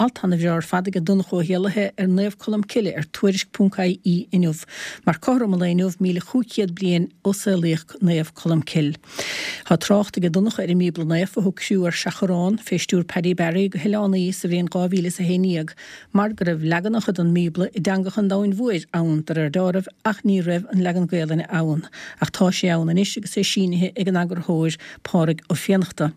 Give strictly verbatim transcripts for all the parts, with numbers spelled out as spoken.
Alt ana-bhreá ar fad aige Donncha Ó hÉallaithe ar Naomh Colm Cille ar Tuairisc ponc I E inniu, mar cothrom an lae inniu míle chúig chéad bliain ó saolaíodh Naomh Colm Cille. Tá trácht aige Donncha ar an mBíobla Naofa a thug criú ar Seachrán fé stiúir Paddy Barry go hOileán Í sa bhliain dhá mhíle is a haon déag, mar go raibh leaganacha den mBíobla i dteangacha an domhain mhóir ann de réir dealraimh ach ní raibh an leagan Gaelainne ann. Ach tá sé ann anois agus é sínithe ag an eagarthóir Pádraig Ó Fiannachta.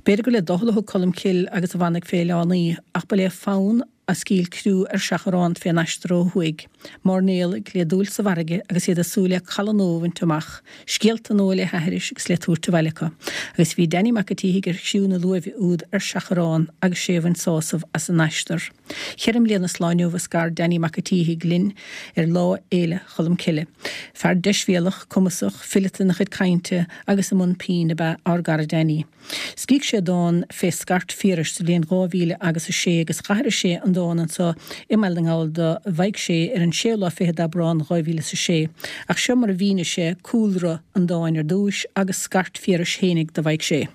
B'fhéidir gur le doicheall a thug Colm Cille agus a mhanaigh fé Oileán Í, ach ba le fonn a scaoil criú ar Seachrán fén aistear ó thuaidh. Mairnéalaigh le dúil sa bhfarraige agus iad ag súil le caladh nua a bhaint amach, scéalta nua le haithris agus le tabhairt abhaile acu. Agus bhí Danny Mac an tSíthigh ar chriú na luaimhe úd ar Seachrán agus sé a bhain sásamh as an aistear. Ceithre bliana is lá inniu a scar Danny Mac an tSíthigh linn ar Lá Fhéile Cholm Cille. Fear deisbhéalach, cumasach, fileata ina chuid cainte agus i mbun pinn ab ea ár gcara Danny. Scrígh sé dán fé scairt Phiarais sa bhliain dhá mhíle agus a sé agus d'aithris sé an dán anso i mBaile na nGall do Mhaidhc Sé ar an séú lá fichead d'Aibreán dhá mhíle is a sé. Ach seo mar a mhínigh sé cúlra an dáin ar dtúis agus scairt Phiarais fhéinig do Mhaidhc Sé.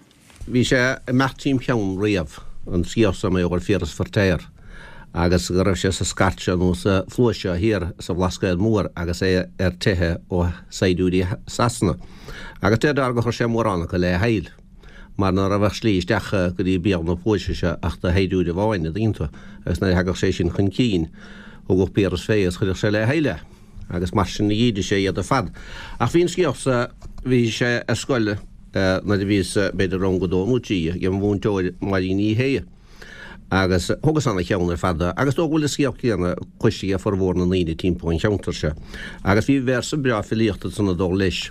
Bhí sé ag imeacht tríom cheann riamh, an scéal seo mar gheall ar Phiaras Feirtéar agus go raibh sé sa scairt seo nó sa phluais seo thiar sa Bhlascaod Mór agus é ar teitheadh ó shaighdiúirí Sasana. Agus deirtear gur chuir sé mórán acu le haill mar ná raibh ach slí isteach go dtí béal na pluaise seo ach do shaighdiúir amháin, an dtuigeann tú, agus nuair a thagadh sé sin chun cinn thugadh Piaras fé agus chuireadh sé le haill é agus mar sin a dhídeadh sé iad ar fad. Ach bhí an scéal sa, bhí sé ar scoil nuair a bhíos b'fhéidir rang a dó nó trí ag an mhúinteoir Máirín Ní Shé agus thugas ana-cheann ar fad agus dóigh go bhfuil an scéal céanna cloiste ag formhór na ndaoine timpeall an cheantair seo. Agus bhí véarsa breá filíochta ansan ag dul leis,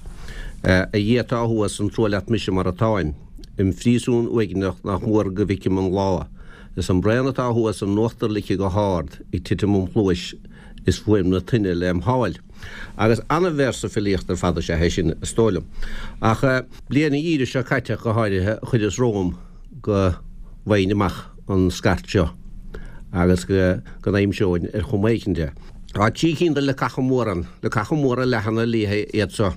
A Dhia atá thuas, an trua leat mise mar atáim, im phríosún uaigneach nach mór go bhficim an lá, is an braon atá thuas in uachtar lice go hard ag titim im chluais is fuaim na toinne lem sháil. Agus ana-véarsa filíochta ar fad is ea é sin, is dóigh liom. Ach bliain an gheimhridh seo caite go háirithe chuireas romham go bhfaighinn amach an scairt seo agus go n-aimseoinn ar chuma éicint é. Tá trí cinn de leacacha móra ann, leacacha móra leathana liatha iad seo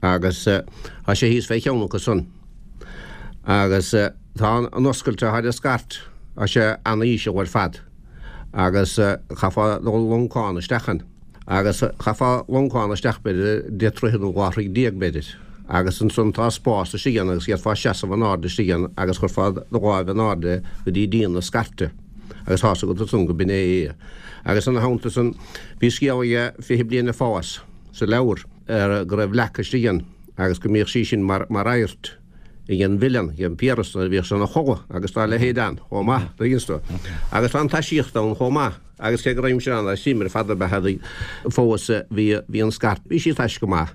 agus tá sé thíos fé cheann acu san agus tá an oscailt atá ar an scairt, tá sé ana-íseal ar fad agus chaithfeá dul loncán isteach ann. Agus chaithfeá loncán isteach b'fhéidir deich dtroithe nó dhá throigh déag b'fhéidir agus ansan tá spás istigh ann agus d'fhéadfá seasamh in airde istigh ann agus chuirfeá do láimh in airde go dtí díon na scairte agus tá's agat ansan go b'in é é. Agus ina theannta san bhí scéal aige Fiche Bliain ag Fás sa leabhar ar go raibh leac istigh ann agus go mbíodh sí sin mar mar adhairt ag an mhilleán, ag an Piaras nuair a bhíodh sé ina chodladh agus dá leithéid ann chomh maith, tuigeann tú. Agus tá an taisíocht ann chomh maith agus cé go raibhimse ann ar suim ar fad ab ea fós bhí bhí an scairt, bhí sí taisce go maith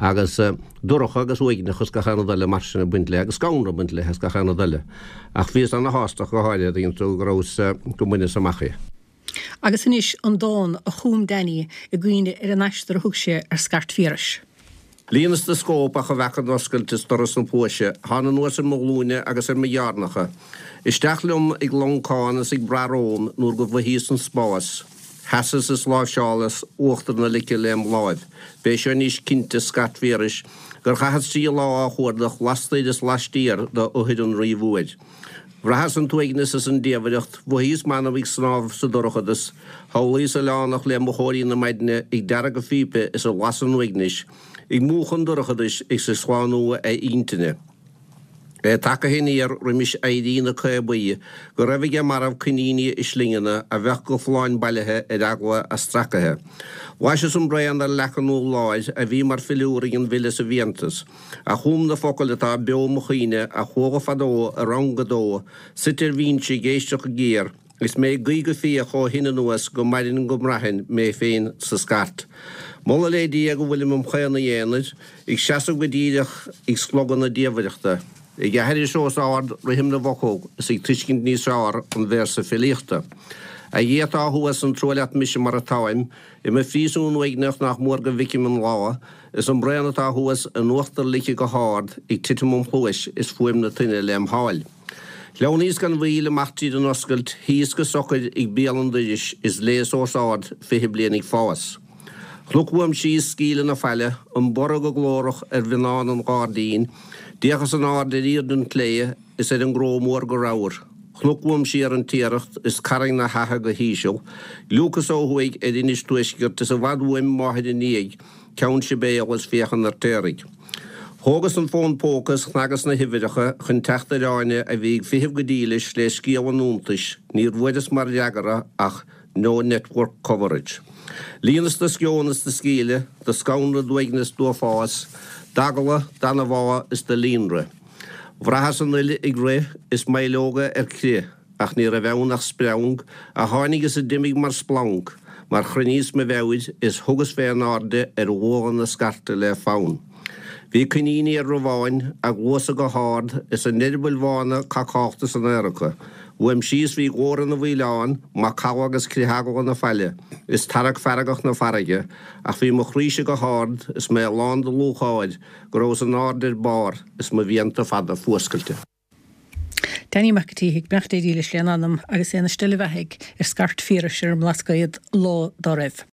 agus dorcha agus uaigneach agus gach aon rud eile mar sin ag baint léi agus scanradh ag baint léi agus gach aon rud eile. Ach bhíos ana-shásta go háirithe, tuigeann tú, go rabhas, go mbaineas amach í. Agus anois an dán a chum Danny i gcuimhne ar an aistear a thug sé ar Scairt Phiarais. Líonas de scóp ach a bhfeaca an oscailt is doras na pluaise, thána anuas ar mo ghlúine agus ar mo ghearrnacha. Isteach liom ag loncán is ag brath romham nuair go mhothaíos an spás. Sheasas is láimhseálas uachtar na lice lem láimh. B'é seo anois cinnte scairt Phiarais gur chaitheas trí lá á chuardach lastoir is laistiar d'fhothair an Rí Mhóir. Bhraitheas an t-uaigneas is an diamhaireacht, mhothaíos m'anam ag snámh sa dorchadas, shamhlaíos oileánach le mochóirí na maidne ag deargadh a phípe is ag lasadh an uaignis, ag múchadh an dorchadais is ag slánú a intinne. É tagtha aniar roimis éirí na caobaí go raibh aige marbh coiníní i slingeanna a bheadh go folláin bailithe ar eagla a stracaithe. Bhlaiseas an braon ar leac an urláir a bhí mar philiúr ag an bhfile sa bhfiántas. A chum na focail atá beo i mo chuimhne, a chuala fadó i rang a dó, suite ar bhinse ag éisteacht go géar, is mé ag guí go fíoch ó shin anuas go mairfinn go mbraithfinn mé féin sa scairt. Moladh le Dia go bhfuilim im chaonaí aonair, ag seasamh go díreach ag slogadh na diamhaireachta, ag aithris os ard rithim na bhfocal is ag tuiscint níos fearr an véarsa filíochta. A Dhia atá thuas, an trua leat mise mar atáim, i mo phríosún uaigneach nach mór go bhficim an lá, Is an braon atá thuas in uachtar lice go hard ag titim im chluais is fuaim na toinne lem sháil. Shleamhnaíos gan mhoill amach tríd an oscailt, shuíos go socair ag béal an dorais is léas os ard Fiche Bliain ag Fás. Chonac uaim síos scaoileadh na faille, an borradh go glórach ar mhionnáin an ghairdín, d'fhéachas in airde ar aoird an tslé is ar an gcró mór go ramhar. Cnoc uaim siar an Tiaracht is Carraig na hAithe go híseal, Gliúcas ó thuaidh ar Inis Tuaiscirt is i bhfad uaim máthair i ndiaidh Ceann Sibéal is féachan ar t'éirigh. Thógas an fón póca is chnagas na huimhreacha chun teacht ar Áine a bhí ag feitheamh go dílis le scéal an iontais, níor bhfuaireas mar fhreagra ach no network coverage. Líonas do sceon is do scíle, do scanradh, d'uaigneas, d'uafás, d'eagla, d'anbhá is do líonrith. Bhraitheas an fhuil ag rith is m'fheileoga ar crith, ach ní raibh ann ach spreang a tháinig is a d'imigh mar splanc, mar chruinníos mo mheabhair is thugas fé in airde ar bhualadh na scairte le fonn. Bhí coiníní ar rabháin, a gcluasa go hard, is a n-eireabaill bhána cacálta san aer acu. Uaim síos bhí glór na bhfaoileán, macalla agus crith eagla na faille, is tarrac feargach na farraige, ach bhí mo chroíse go hard is mé lán de lúcháir go rabhas in airde ar barr is mo mhianta fada fuascailte. Danny Mac an tSíthigh, beannacht Dé dílis lena anam agus é ina steillebheathaidh ar scairt Phiarais ar an mBlascaod lá dá raibh.